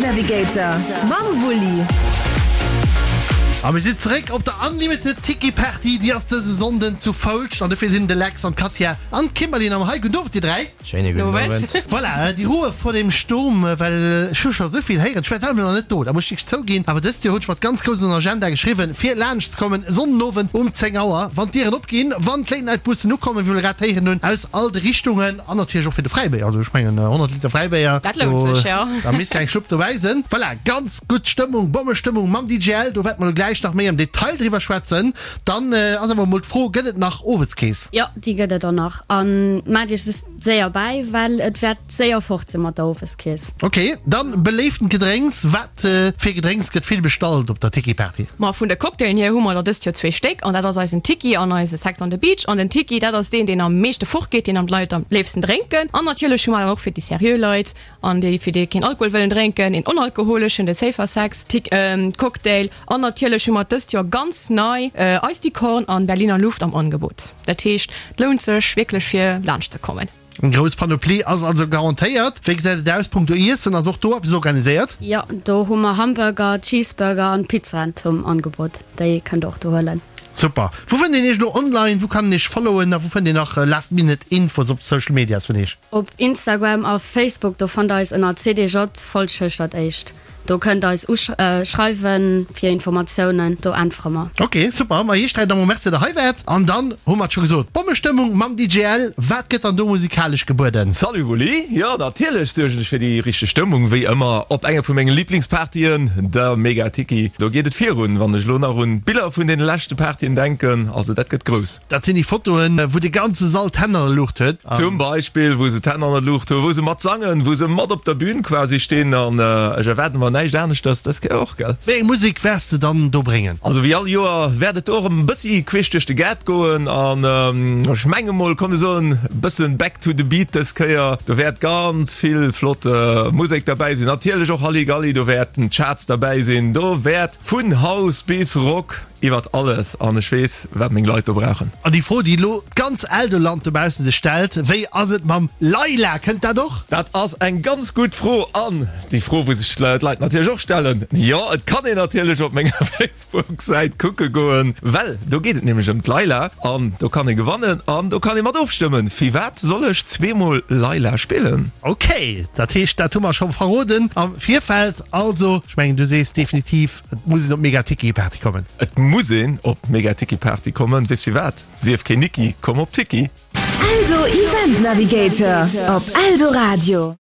Navigator mam Wulli. A mir sinn zeréck op der Unlimited Tiki Party. Déi ass dëse Sonnden zu Foulscht an dofir sinn de Lex an d'Katja an d'Kimberly am hei. Gudden Owend dir 3. Schéine gudden Owend. Voilà, déi Ruhe vor dem Sturm, well ech hu scho esou vill héieren. Ech war selwer nach net do, dat muss ech wierklech zouginn. Awer dëst Joer hunn ech mat ganz grouss an den Agenda geschriwwen, fir laanscht ze kommen, Sonndenowend um 10 Auer, wann d'Dieren opginn, wann d'Late Night Bussen ukommen, wéi mer grad héieren hunn, aus all de Richtungen. An natierlech och fir de Fräibéier. Also ech mengen 100 Liter Fräibéier, Dat lount sech, jo. da misst jo eng Schlupp dobäi sinn. Voilà, ganz gutt Stëmmung, Bommestëmmung mam DJ L. Do wäerte mer elo gläich nach méi am Detail driwwer schwätzen. Dann ass awer emol d'Fro, Gëtt et nach Oweskeess? Jo, déi gëtt et och nach. An maacht iech just séier bäi, well et wäert séier fort sinn mat der Oweskeess. Ok, dann beléiftent Gedrénks. Wat fir Gedrénks gëtt vill bestallt op der Tiki Party? Ma vun de Cocktailen hier hu mer der dëst Joer zwee Stéck an dat ass eisen Tiki an eise Sex on the Beach. An den Tiki, dat ass deen, deen am meeschte fortgeet, deen am d'Leit am léifsten drénken. An natierlech hu mer dann och fir déi seriö Leit an déi fir déi keen Alkohol wëllen drénken, een onalkoholeschen, de Safer Sex Cocktail. An natierlech hu mer dëst Joer ganz nei Iced Tea Corn an Berliner Luft am Angebot. Dat heescht, et lount sech wierklech fir laanscht ze kommen. Eng grouss Panoplie ass also garantéiert. Wéi gesäit et aus punkto Iessen? Ass och do eppes organiséiert? Jo, do hu mer Hamburger, Cheeseburger an Pizzaen zum Angebot. Déi kënnt der och do huelen. Super! Wou fënnt een iech elo online? Wou kann een iech followen a wou fënnt een nach last minute Infos op de Social Medias vun iech? Op Instagram a Facebook, do fannt der eis ënner CDJ Folschëscht dat éischt. Do kënnt eis uschreiwen fir Informatiounen, do äntwere mer. Ok super, ma iech 3 da mol Merci der hei waart. An dann hu mer et scho gesot, Bommestëmmung mam DJ L. Wat gëtt dann do musikalesch gebueden? Salut Wulli, jo natierlech suergen ech fir déi richteg Stëmmung, wéi ëmmer op enger vu menge Liblingspartyen, der Mega Tiki. Do geet et virun, wann ech elo nach un d'Biller vun deene leschte Partyen denken, also dat gëtt grouss. Dat sinn déi Fotoen, wou de ganze Sall d'Hänn an der Luucht huet. Zum Beispill, wou se d'Hänn an der Luucht hunn, wou se mat sangen, wou se mat op der Bühn quasi stinn. An ech erwaarde mer näischt aneschters dës Kéier och, gell? Wéi eng Musek wäers de dann do bréngen? Also wéi all Joer wäert et do och erëm e bëssi queesch duerch de Gaart goen. An ech menge mol, komm mir soen e bëssen back to the beat dës Kéier. Do wäert ganz vill flott Musek derbäi sinn. Natierlech och Halligalli, do wäerten d'Charts derbäi sinn. Do wäert vun House bis Rock Iwwert alles an ech weess, wat meng Leit do brauchen. An déi Fro, déi elo d'ganz Eldoland dobaussen sech stellt, Wéi ass et mam Leila? Kënnt dat och? Dat ass eng ganz gutt Fro an déi Fro, wou sech d'Leit natierlech och stellen. Jo, et kann een natierlech op menger Facebook-Säit kucke goen, well do geet et nämlech ëm d'Leila an do kann ee gewannen an do kann ee mat ofstëmmen. Firwat soll ech zweemol Leila spillen? Ok, dat heescht, dat hu mer scho verroden am Virfeld. Also, ech mengen, du sees definitiv, Et muss een op d'Mega Tiki Party kommen. Et muss een op d'Mega Tiki Party kommen, weess firwat? Sief keen Niki, komm op Tiki! Eldo Event Navigator op Eldoradio.